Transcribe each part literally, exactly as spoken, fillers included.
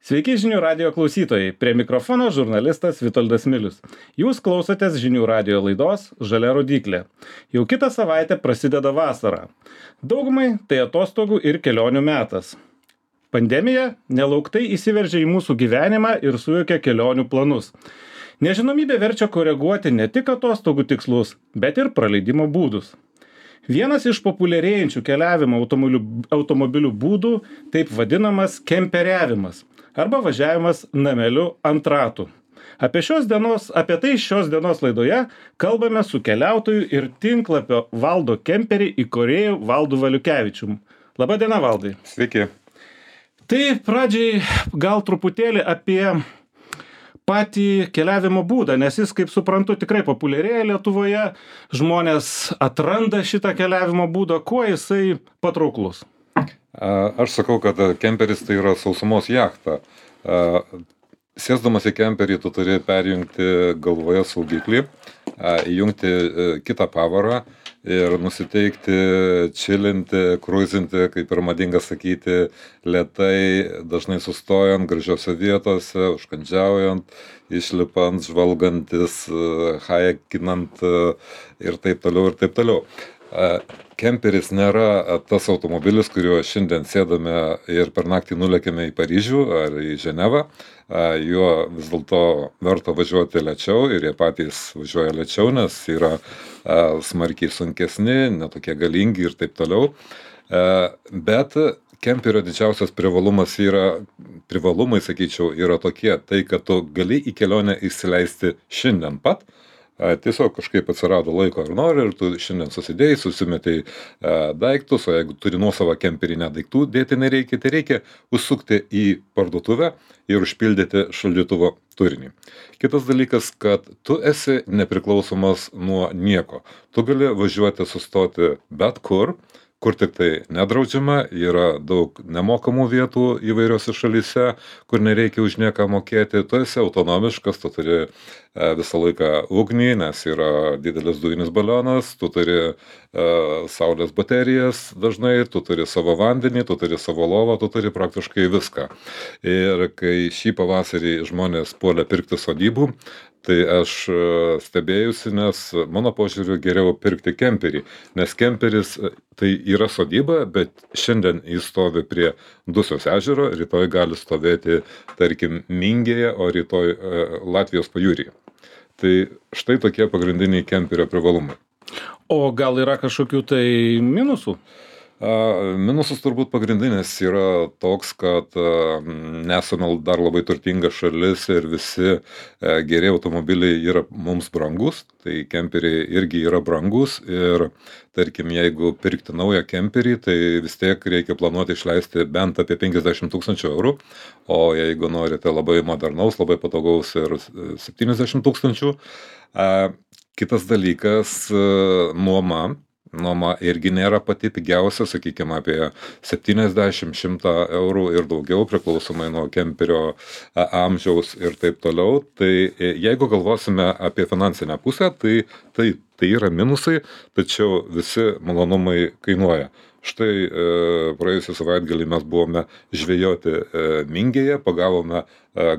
Sveiki žinių radio klausytojai, prie mikrofono žurnalistas Vitoldas Milius. Jūs klausotės žinių radio laidos Žalia rodyklė. Jau kitą savaitę prasideda vasara. Daugumai tai atostogų ir kelionių metas. Pandemija nelauktai įsiveržė į mūsų gyvenimą ir sujaukė kelionių planus. Nežinomybė verčia koreguoti ne tik atostogų tikslus, bet ir praleidimo būdus. Vienas iš populiarėjančių keliavimo automobilių, automobilių būdų taip vadinamas kemperiavimas arba važiavimas nameliu ant ratų. Apie, šios dienos, apie tai šios dienos laidoje kalbame su keliautoju ir tinklapio Valdo Kemperį įkūrėju Valdu Valiukevičium. Labą dieną, Valdai. Sveiki. Tai pradžiai gal truputėlį apie patį keliavimo būdą, nes jis, kaip suprantu, tikrai populiarėja Lietuvoje. Žmonės atranda šitą keliavimo būdą, kuo jisai patrauklus. Aš sakau, kad kemperis tai yra sausumos jachta. Sėsdamas į kemperį, tu turi perjungti galvoje saugiklį, įjungti kitą pavarą ir nusiteikti, čilinti, kruizinti, kaip ir madinga sakyti, lėtai, dažnai sustojant gražiose vietose, užkandžiaujant, išlipant, žvalgantis, hajekinant ir taip toliau ir taip toliau. Kemperis nėra tas automobilis, kuriuo šiandien sėdame ir per naktį nulėkėme į Paryžių ar į Ženevą. Juo vis dėlto verta važiuoti lėčiau ir jie patys važiuoja lėčiau, nes yra smarkiai sunkesni, netokie galingi ir taip toliau. Bet kemperio didžiausias privalumas yra, privalumai, sakyčiau, yra tokie, tai kad tu gali į kelionę įsileisti šiandien pat. Tiesiog kažkaip atsirado laiko ar nori ir tu šiandien susidėjai, susimetei daiktus, o jeigu turi nuosavą kemperį, ne daiktų dėti nereikia, tai reikia užsukti į parduotuvę ir užpildyti šaldytuvo turinį. Kitas dalykas, kad tu esi nepriklausomas nuo nieko. Tu gali važiuoti, sustoti bet kur, kur tik tai nedraudžiama, yra daug nemokamų vietų įvairiose šalyse, kur nereikia už nieką mokėti, tu esi autonomiškas, tu turi visą laiką ugnį, nes yra didelis dujinis balionas, tu turi uh, saulės baterijas dažnai, tu turi savo vandenį, tu turi savo lovą, tu turi praktiškai viską. Ir kai šį pavasarį žmonės puolė pirkti sodybų, tai aš stebėjusi, nes mano požiūriu geriau pirkti kemperį, nes kemperis tai yra sodyba, bet šiandien jis stovi prie Dusios ežero, rytoj gali stovėti, tarkim, Mingėje, o rytoj uh, Latvijos pajūryje. Tai štai tokie pagrindiniai kemperio privalumai. O gal yra kažkokių tai minusų? Minusas turbūt pagrindinis yra toks, kad nesame dar labai turtinga šalis ir visi geri automobiliai yra mums brangus, tai kemperiai irgi yra brangus ir tarkim, jeigu pirkti naują kemperį, tai vis tiek reikia planuoti išleisti bent apie penkiasdešimt tūkstančių eurų, o jeigu norite labai modernaus, labai patogaus ir septyniasdešimt tūkstančių. Kitas dalykas, nuoma. Nuoma irgi nėra pati pigiausia, sakykime, apie septyniasdešimt šimtą eurų ir daugiau, priklausomai nuo kemperio amžiaus ir taip toliau. Tai jeigu galvosime apie finansinę pusę, tai, tai, tai yra minusai, tačiau visi malonumai kainuoja. Štai praėjusią savaitgalį mes buvome žvejoti Mingėje, pagavome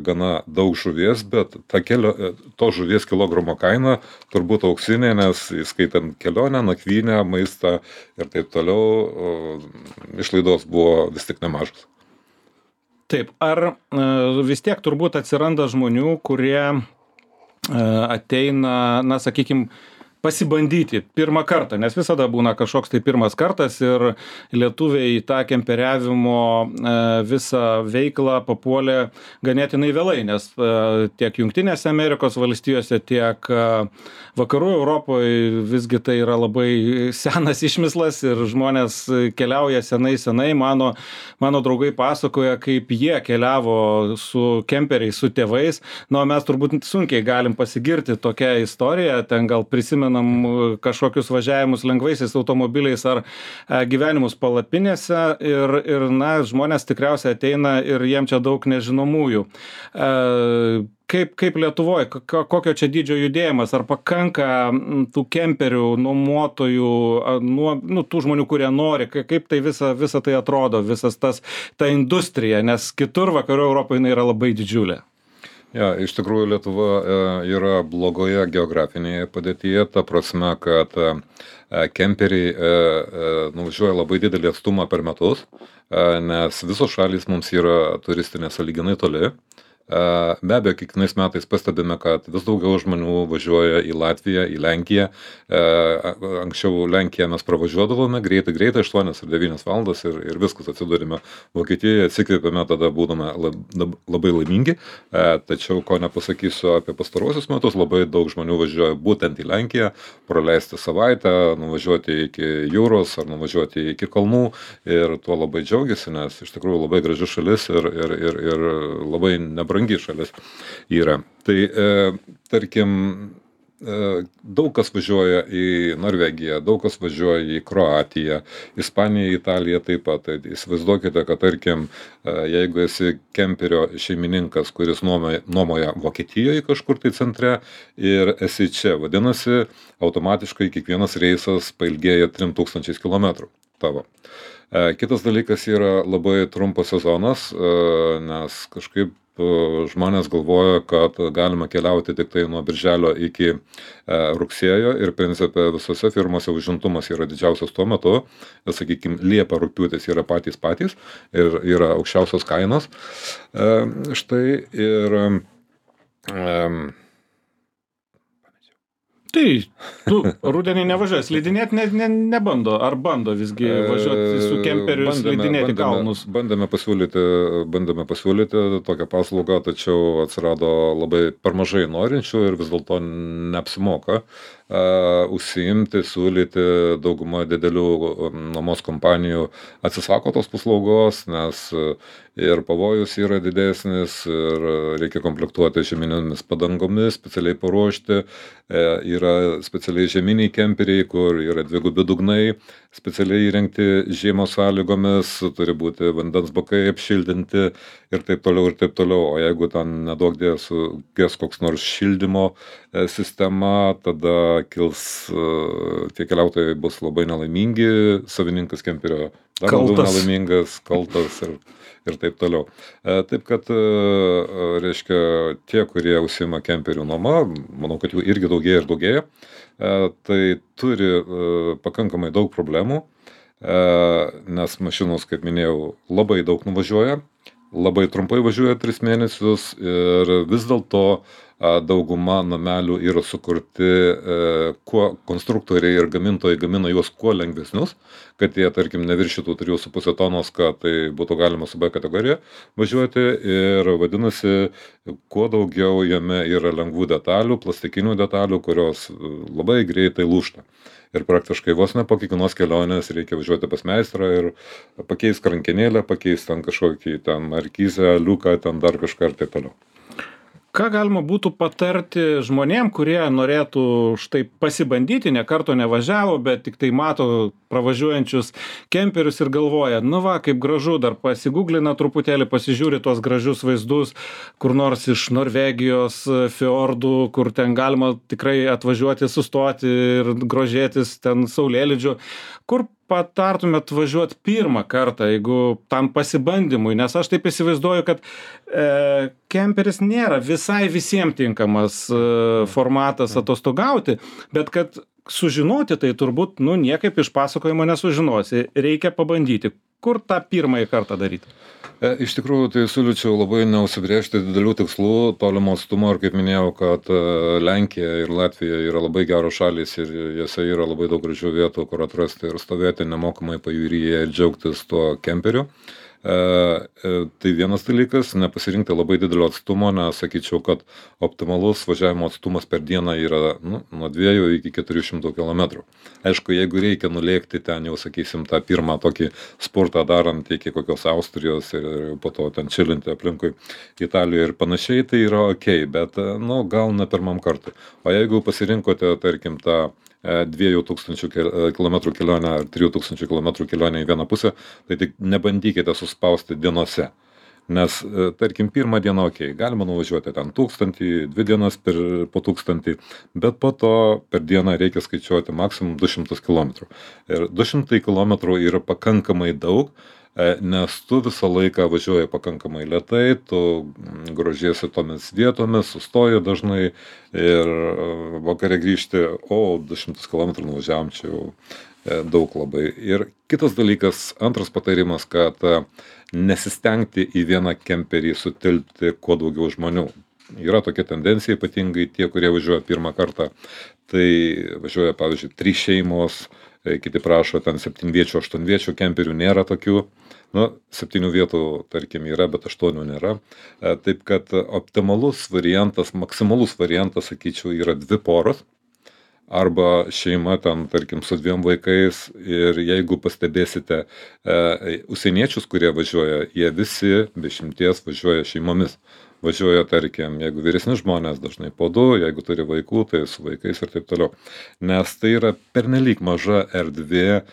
gana daug žuvies, bet ta kelio, to žuvies kilogramo kaina turbūt auksinė, nes įskaitant kelionę, nakvynę, maistą ir taip toliau, išlaidos buvo vis tik nemažas. Taip, ar vis tiek turbūt atsiranda žmonių, kurie ateina, na, sakykime, pasibandyti pirmą kartą, nes visada būna kažkoks tai pirmas kartas ir lietuviai tą kemperiavimo visą veiklą papuolė ganėtinai vėlai, nes tiek Jungtinėse Amerikos valstijose, tiek vakarų Europoje visgi tai yra labai senas išmislas ir žmonės keliauja senai senai. Mano, mano draugai pasakoja, kaip jie keliavo su kemperiais, su tėvais. Na, mes turbūt sunkiai galim pasigirti tokią istoriją, ten gal prisimenu prisimenam kažkokius važiavimus lengvaisiais automobiliais ar gyvenimus palapinėse ir, ir na, žmonės tikriausiai ateina ir jiem čia daug nežinomųjų. Kaip, kaip Lietuvoje, kokio čia dydžio judėjimas, ar pakanka tų kemperių, nuomotojų, nuo, nu, tų žmonių, kurie nori, kaip tai visa, visa tai atrodo, visas tas, ta industrija, nes kitur vakarų Europoje jinai yra labai didžiulė. Ja, iš tikrųjų Lietuva yra blogoje geografinėje padėtyje, ta prasme, kad kemperiai nuvažiuoja labai didelį atstumą per metus, nes visos šalys mums yra turistinės sąlyginai toli. Be abejo, kiekvienais metais pastebime, kad vis daugiau žmonių važiuoja į Latviją, į Lenkiją. Anksčiau Lenkiją mes pravažiuodavome greitai, greitai, aštuonias ar devynias valandas ir, ir viskas atsidūrime Vokietijoje, atsikvėpėme, tada būdame labai laimingi. Tačiau, ko nepasakysiu apie pastarosius metus, labai daug žmonių važiuoja būtent į Lenkiją, praleisti savaitę, nuvažiuoti iki jūros ar nuvažiuoti iki kalnų ir tuo labai džiaugiasi, nes iš tikrųjų labai graži šalis ir, ir, ir, ir labai nebrangi brangi šalis yra. Tai, e, tarkim, e, daug kas važiuoja į Norvegiją, daug kas važiuoja į Kroatiją, Ispaniją, Italiją taip pat. Tai įsivaizduokite, kad, tarkim, e, jeigu esi kemperio šeimininkas, kuris nuomoja, nuomoja Vokietijoje kažkur tai centre ir esi čia, vadinasi, automatiškai kiekvienas reisas pailgėja trim tūkstančiais kilometrų tavo. Kitas dalykas yra labai trumpas sezonas, nes kažkaip žmonės galvoja, kad galima keliauti tik tai nuo birželio iki rugsėjo ir principe visose firmose užimtumas yra didžiausias tuo metu, sakykime, Liepa, rugpjūtis yra patys patys ir yra aukščiausios kainos. Štai ir Tai, tu rudenį nevažiuoji, slidinėti ne, ne, nebando, ar bando visgi važiuoti su kemperiu slidinėti kalnus? Bandėme pasiūlyti, bandėme pasiūlyti tokią paslaugą, tačiau atsirado labai per mažai norinčių ir vis dėlto neapsimoka uh, užsiimti, siūlyti. Dauguma didelių nuomos kompanijų atsisako tos paslaugos, nes ir pavojus yra didesnis ir reikia komplektuoti žieminėmis padangomis, specialiai paruošti. Yra specialiai žieminiai kemperiai, kur yra dvigubi dugnai, specialiai įrengti žiemos sąlygomis, turi būti vandens bakai apšildinti ir taip toliau ir taip toliau. O jeigu ten nedaug dėl sugės koks nors šildymo sistema, tada kils, tie keliautojai bus labai nelaimingi, savininkas kemperio dar labiau nelaimingas, kaltas ir ir taip toliau. Taip kad, reiškia, tie, kurie užsiima kemperių nuoma, manau, kad jų irgi daugėja ir daugėja, tai turi pakankamai daug problemų, nes mašinos, kaip minėjau, labai daug nuvažiuoja, labai trumpai važiuoja tris mėnesius ir vis dėlto dauguma namelių yra sukurti, kuo konstruktoriai ir gamintojai gamina juos kuo lengvesnius, kad jie, tarkim, neviršytų trijų su puse tonos, kad tai būtų galima su B kategorija važiuoti ir vadinasi, kuo daugiau jame yra lengvų detalių, plastikinių detalių, kurios labai greitai lūžta. Ir praktiškai vos ne po kiekvienos kelionės reikia važiuoti pas meistrą ir pakeisti krankenėlę, pakeisti ten kažkokį ten markizę, liuką, ten dar kažką ir taip toliau. Ką galima būtų patarti žmonėm, kurie norėtų štai pasibandyti, ne karto nevažiavo, bet tik tai mato pravažiuojančius kemperius ir galvoja, nu va, kaip gražu, dar pasigūglina truputėlį, pasižiūri tuos gražius vaizdus, kur nors iš Norvegijos fiordų, kur ten galima tikrai atvažiuoti, sustoti ir grožėtis ten saulėlydžiu. Kur patartumėt važiuoti pirmą kartą, jeigu tam pasibandymui, nes aš taip įsivaizduoju, kad e, kemperis nėra visai visiems tinkamas e, formatas atostogauti, bet kad sužinoti tai turbūt, nu, niekaip iš pasakojimo nesužinosi, reikia pabandyti. Kur tą pirmąjį kartą daryti? Iš tikrųjų, tai siūlyčiau labai neužsibrėžti didelių tikslų, tolimo atstumo ir kaip minėjau, kad Lenkija ir Latvija yra labai geros šalys ir jose yra labai daug gražių vietų, kur atrasti ir stovėti nemokamai pajūryje ir džiaugtis tuo kemperiu. Tai vienas dalykas, nepasirinkti labai didelio atstumo, nes sakyčiau, kad optimalus važiavimo atstumas per dieną yra nu, nuo dviejų iki keturių šimtų kilometrų. Aišku, jeigu reikia nulėkti ten jau, sakysim, tą pirmą tokį sportą darant iki kokios Austrijos ir po to ten čilinti aplinkui Italijoje ir panašiai, tai yra ok, bet nu, gal ne pirmam kartui. O jeigu pasirinkote, tarkim, tą dviejų tūkstančių kilometrų kelionę ar trijų tūkstančių kilometrų kelionę į vieną pusę, tai tik nebandykite suspausti dienose. Nes, tarkim, pirmą dieną, ok, galima nuvažiuoti ten tūkstantį, dvi dienas per, po tūkstantį, bet po to per dieną reikia skaičiuoti maksimum du šimtus kilometrų. Ir du šimtai kilometrų yra pakankamai daug, nes tu visą laiką važiuoji pakankamai lėtai, tu grožiesi tomis vietomis, sustoji dažnai ir vakare grįžti, o du šimtus kilometrų nuvažiavom, čia jau daug labai. Ir kitas dalykas, antras patarimas, kad nesistengti į vieną kemperį sutilpti kuo daugiau žmonių. Yra tokia tendencija, ypatingai tie, kurie važiuoja pirmą kartą, tai važiuoja, pavyzdžiui, trys šeimos, kiti prašo ten septynviečių, aštuonviečių kemperių, nėra tokių. Nu, septynių vietų, tarkim, yra, bet aštuonių nėra. Taip kad optimalus variantas, maksimalus variantas, sakyčiau, yra dvi poros. Arba šeima ten, tarkim, su dviem vaikais. Ir jeigu pastebėsite e, užsieniečius, kurie važiuoja, jie visi be išimties važiuoja šeimomis. Važiuoja, tarkim, jeigu vyresni žmonės, dažnai po du, jeigu turi vaikų, tai su vaikais ir taip toliau. Nes tai yra pernelyg maža erdvė,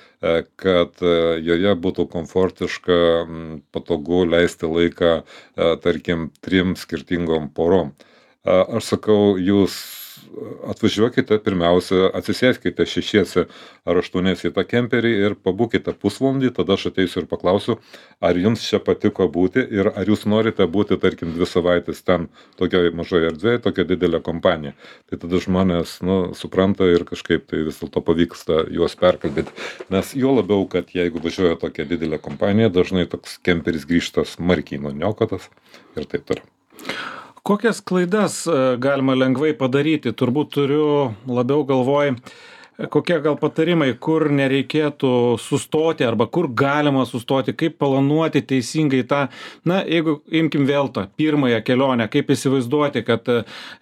kad joje būtų komfortiška, patogu leisti laiką, tarkim, trim skirtingom porom. Aš sakau, jūs atvažiuokite, pirmiausia, atsisėskite šešiese ar aštuoniese į tą kemperį ir pabūkite pusvalandį, tada aš ateisiu ir paklausiu, ar jums čia patiko būti ir ar jūs norite būti, tarkim, dvi savaitės ten tokioje mažoje erdvėje, tokia didelė kompanija. Tai tada žmonės, nu, supranta ir kažkaip tai vis dėlto pavyksta juos perkalbėti. Nes jo labiau, kad jeigu važiuoja tokia didelė kompanija, dažnai toks kemperis grįžta smarkiai nuniokotas ir taip toliau. Kokias klaidas galima lengvai padaryti? Turbūt turiu labiau galvoj, kokie gal patarimai, kur nereikėtų sustoti arba kur galima sustoti, kaip planuoti teisingai tą, na, jeigu imkim vėl tą pirmąją kelionę, kaip įsivaizduoti, kad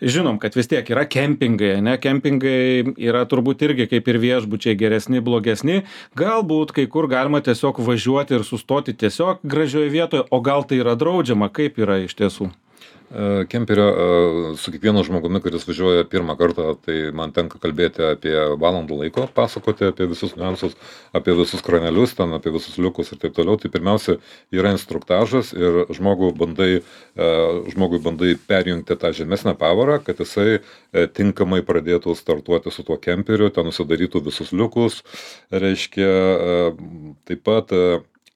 žinom, kad vis tiek yra kempingai, ne, kempingai yra turbūt irgi kaip ir viešbučiai geresni, blogesni, galbūt kai kur galima tiesiog važiuoti ir sustoti tiesiog gražioje vietoje, o gal tai yra draudžiama, kaip yra iš tiesų? Kemperio su kiekvienu žmogumi, kuris važiuoja pirmą kartą, tai man tenka kalbėti apie valandų laiko, pasakoti apie visus niuansus, apie visus kranelius, ten, apie visus liukus ir taip toliau. Tai pirmiausia yra instruktažas ir žmogui bandai, žmogui bandai perjungti tą žemesnę pavarą, kad jisai tinkamai pradėtų startuoti su tuo kemperiu, ten nusidarytų visus liukus, reiškia taip pat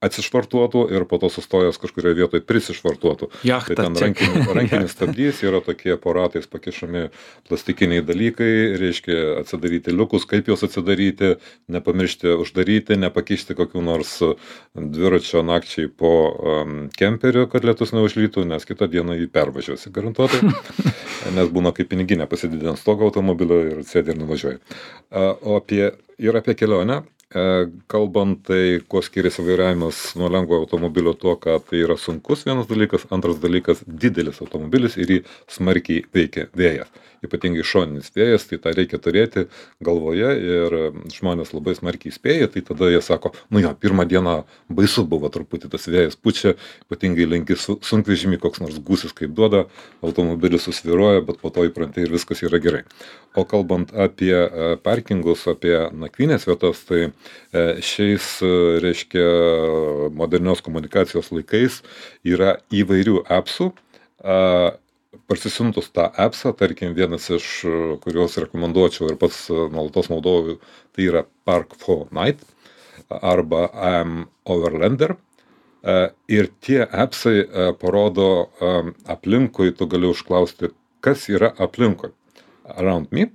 atsišvartuotų ir po to sustojęs kažkurioje vietoje prisišvartuotų. Jachta, tai ten rankinis, rankinis stabdys, yra tokie po ratais pakišami plastikiniai dalykai, reiškia atsidaryti liukus, kaip juos atsidaryti, nepamiršti uždaryti, nepakišti kokių nors dviračio nakčiai po um, kemperiu, kad lietus neužlytų, nes kitą dieną jį pervažiuosi garantuotai, nes būna kaip piniginė, pasididint stogą automobilio ir sėdi ir nuvažiuoji. O apie, ir apie kelionę. Kalbant, tai kuo skiriasi vairavimas nuo lengvo automobilio tuo, kad tai yra sunkus vienas dalykas, antras dalykas didelis automobilis ir jį smarkiai veikia vėjas. Ypatingai šoninis vėjas, tai tą reikia turėti galvoje ir žmonės labai smarkiai spėja, tai tada jie sako, nu jo, pirmą dieną baisu buvo truputį tas vėjas pučia, ypatingai lenki sunkvežimį, koks nors gūsis kaip duoda, automobilis susviruoja, bet po to įpranti ir viskas yra gerai. O kalbant apie parkingus, apie nakvynės vietas, tai šiais, reiškia, modernios komunikacijos laikais yra įvairių appsų. Parsisiuntus tą appsą, tarkim, vienas iš kuriuos rekomenduočiau ir pats nuolatos naudoju, tai yra Park for Night arba I'm Overlander. Ir tie appsai parodo aplinkui, tu gali užklausti, kas yra aplinkui. Around me.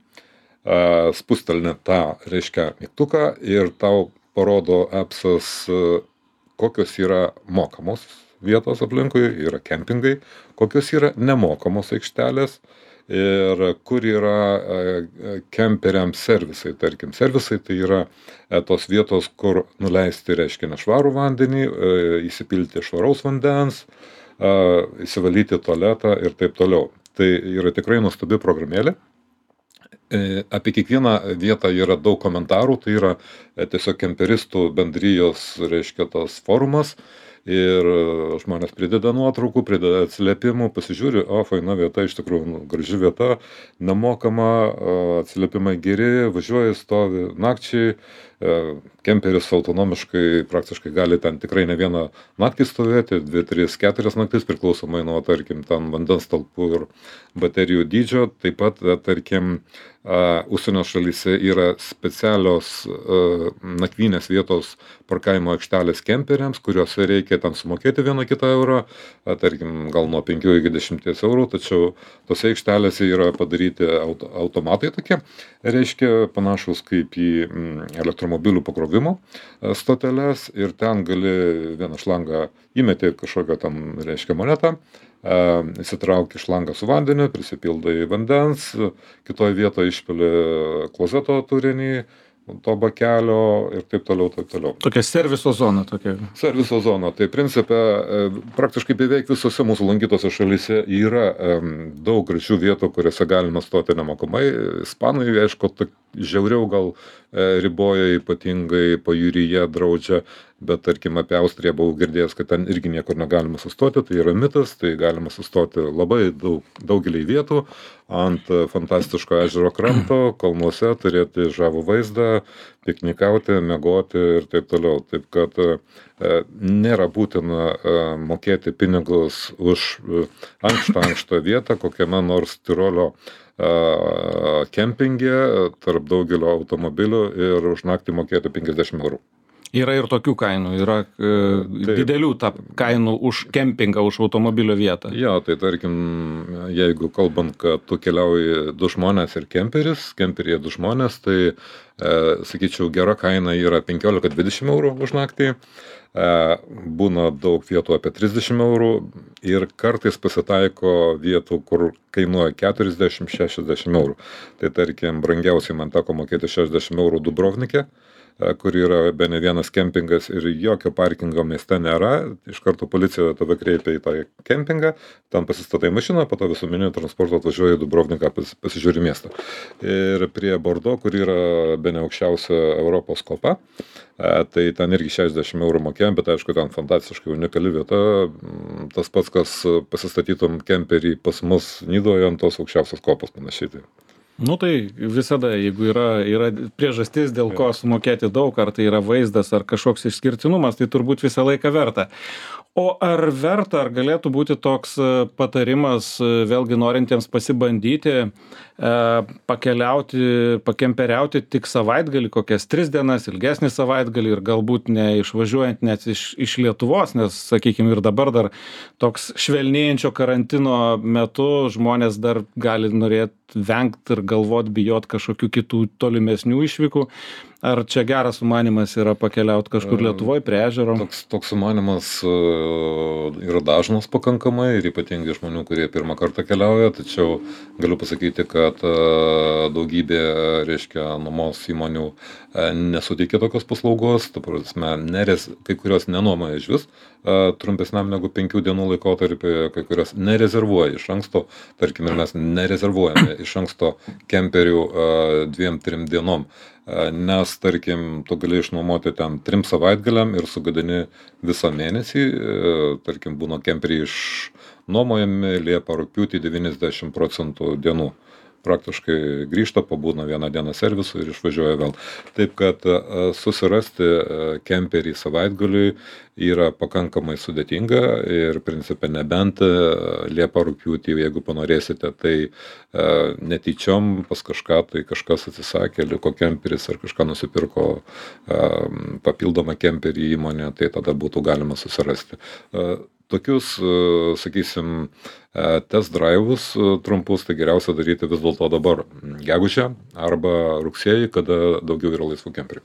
Spustelni tą, reiškia, mygtuką ir tau parodo appsas, kokios yra mokamos vietos aplinkui, yra kempingai, kokios yra nemokamos aikštelės ir kur yra kemperiams servisai. Tarkim, servisai tai yra tos vietos, kur nuleisti, reiškia, nešvarų vandenį, įsipilti švaraus vandens, įsivalyti tualetą ir taip toliau. Tai yra tikrai nuostabi programėlė. Apie kiekvieną vietą yra daug komentarų, tai yra tiesiog kemperistų bendrijos, reiškia, tas forumas. Ir žmonės prideda nuotraukų, prideda atsiliepimų, pasižiūri, o, faina vieta, iš tikrųjų, nu, graži vieta, nemokama, atsiliepimai geri, važiuoja, stovi nakčiai, kemperis autonomiškai praktiškai gali ten tikrai ne vieną naktį stovėti, dvi, tris, keturias naktis, priklausomai nuo, tarkim, ten vandens talpų ir baterijų dydžio. Taip pat, tarkim, užsienio šalyse yra specialios nakvynės vietos parkavimo aikštelės kemperiams, kuriuose reikia ten sumokėti vieną kitą eurą, tarkim, gal nuo penkių iki dešimties eurų, tačiau tose aikštelėse yra padaryti auto, automatai tokie, reiškia panašus kaip į elektromobilių pakrovimo stoteles, ir ten gali vieną šlangą įmeti kažkokią tam, reiškia, monetą, įsitrauki šlangą su vandeniu, prisipildai vandens, kitoje vietoje išpili klozeto turinį, to bakelio ir taip toliau, taip toliau. Tokia serviso zona tokia. Serviso zona. Tai principe praktiškai beveik visose mūsų lankytose šalyse yra daug gražių vietų, kuriuose galima stoti nemokamai. Ispanai, aišku, žiauriau gal riboja, ypatingai pajūryje draudžia, bet tarkim apie Austriją buvau girdėjęs, kad ten irgi niekur negalima sustoti, tai yra mitas, tai galima sustoti labai daug, daugelį vietų, ant fantastiško ežero kranto, kalnuose, turėti žavų vaizdą, piknikauti, miegoti ir taip toliau. Taip kad e, nėra būtina e, mokėti pinigus už ankštą ankštą vietą, kokiame nors Tirolio e, kempinge tarp daugelio automobilių ir už naktį mokėti penkiasdešimt eurų. Yra ir tokių kainų, yra e, didelių ta kainų už kempingą, už automobilio vietą. Jo, tai tarkim, jeigu kalbant, kad tu keliauji du žmonės ir kemperis, kemperyje du žmonės, tai, e, sakyčiau, gera kaina yra penkiolika dvidešimt eurų už naktį, e, būna daug vietų apie trisdešimt eurų ir kartais pasitaiko vietų, kur kainuoja keturiasdešimt šešiasdešimt eurų. Tai tarkim, brangiausiai man teko mokėti šešiasdešimt eurų Dubrovnike, kur yra be ne vienas kempingas ir jokio parkingo mieste nėra. Iš karto policija tave kreipia į tą kempingą, tam pasistatai mašiną, po to visuomeninio transporto atvažiuoja į Dubrovniką, pas, pasižiūri miestą. Ir prie Bordo, kur yra be ne aukščiausia Europos kopa, tai ten irgi šešiasdešimt eurų mokėjom, bet aišku, ten fantastiškai unikali vieta. Tas pats, kas pasistatytum kemperį pas mus Nidoje ant tos aukščiausios kopos panašiai. Nu tai visada, jeigu yra, yra priežastis, dėl ko sumokėti daug, ar tai yra vaizdas, ar kažkoks išskirtinumas, tai turbūt visą laiką verta. O ar verta, ar galėtų būti toks patarimas, vėlgi norintiems pasibandyti, pakeliauti, pakemperiauti tik savaitgalį, kokias tris dienas, ilgesnį savaitgalį ir galbūt neišvažiuojant net iš, iš Lietuvos, nes, sakykime, ir dabar dar toks švelnėjančio karantino metu žmonės dar gali norėti vengti ir galvot, bijot kažkokių kitų tolimesnių išvykų. Ar čia geras sumanimas yra pakeliauti kažkur Lietuvoje prie ežero? Toks, toks sumanimas yra dažnas pakankamai ir ypatingai žmonių, kurie pirmą kartą keliauja, tačiau galiu pasakyti, kad daugybė, reiškia, nuomos įmonių nesuteikia tokios paslaugos, ta prasme, nerez, kai kurios nenuomoja iš vis trumpesniam negu penkių dienų laikotarpį, kai kurios nerezervuoja iš anksto, tarkim, ir mes nerezervuojame iš anksto kemperių dviem, trim dienom. Nes, tarkim, tu gali išnuomoti ten trim savaitgaliam ir sugadini visą mėnesį, tarkim, būna kemperiai išnuomojami Liepą, rugpjūtį devyniasdešimt procentų dienų. Praktiškai grįžta, pabūna vieną dieną servisų ir išvažiuoja vėl. Taip kad susirasti kemperį savaitgaliui yra pakankamai sudėtinga ir principe nebent Liepą, rugpjūtį, jeigu panorėsite, tai netyčiom pas kažką, tai kažkas atsisakė, liko kemperis ar kažką nusipirko papildomą kemperį įmonė, tai tada būtų galima susirasti. Tokius, sakysim, test drive'us trumpus, tai geriausia daryti vis dėlto dabar gegužę arba rugsėjį, kada daugiau yra laisvų kemperių.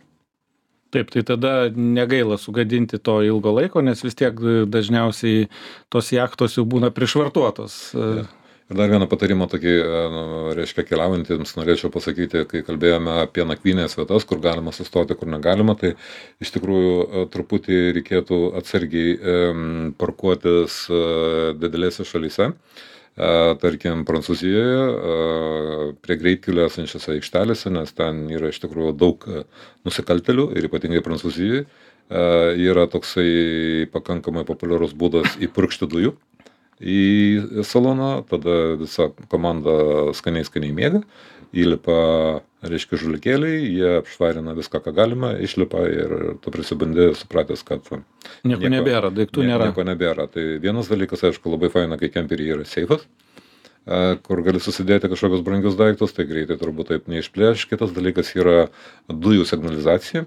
Taip, tai tada negaila sugadinti to ilgo laiko, nes vis tiek dažniausiai tos jachtos jau būna prišvartuotos. Ja. Ir dar vieną patarimą tokį, nu, reiškia, keliaujantiems norėčiau pasakyti, kai kalbėjome apie nakvynės vietas, kur galima sustoti, kur negalima, tai iš tikrųjų truputį reikėtų atsargiai parkuotis didelėse šalyse. Tarkim, Prancūzijoje, prie greitkelio esančiose aikštelėse, nes ten yra iš tikrųjų daug nusikaltelių ir ypatingai Prancūzijoje yra toksai pakankamai populiarus būdas įpurkšti dujų į saloną, tada visa komanda skaniai skaniai miega, įlipa, reiškia, žulikėliai, jie apšvarina viską, ką galima, išlipa ir tu prisibandė supratęs, kad nieko, nieko nebėra, daiktų nieko, nėra. Nieko nebėra. Tai vienas dalykas, aišku, labai faina, kai kemperiai yra seifas, kur gali susidėti kažkokius brangius daiktus, tai greitai turbūt taip neišplėš. Kitas dalykas yra dujų signalizacija.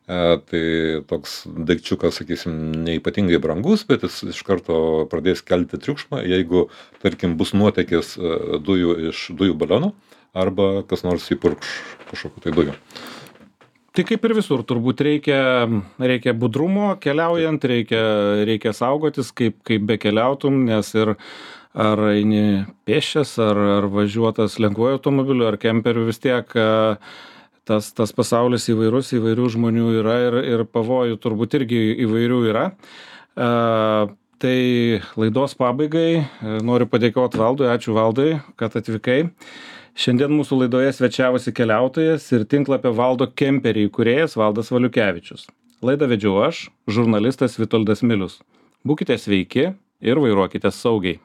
Tai toks daikčiukas, sakysim, neipatingai brangus, bet jis iš karto pradės kelti triukšmą, jeigu, tarkim, bus nuotėkis dujų iš dujų balionų arba kas nors įpurkš kažkokių tai dujų. Tai kaip ir visur, turbūt reikia, reikia budrumo keliaujant, reikia, reikia saugotis, kaip, kaip bekeliautum, nes ir ar eini pėsčias, ar, ar važiuotas lengvuoju automobiliu, ar kemperiu, vis tiek tas, tas pasaulis įvairus, įvairių žmonių yra ir, ir pavojų turbūt irgi įvairių yra. E, tai laidos pabaigai noriu padėkoti Valdui, ačiū Valdai, kad atvykai. Šiandien mūsų laidoje svečiavosi keliautojas ir tinklapio Valdo kemperiai įkūrėjas Valdas Valiukevičius. Laidą vedžiau aš, žurnalistas Vitoldas Milius. Būkite sveiki ir vairuokite saugiai.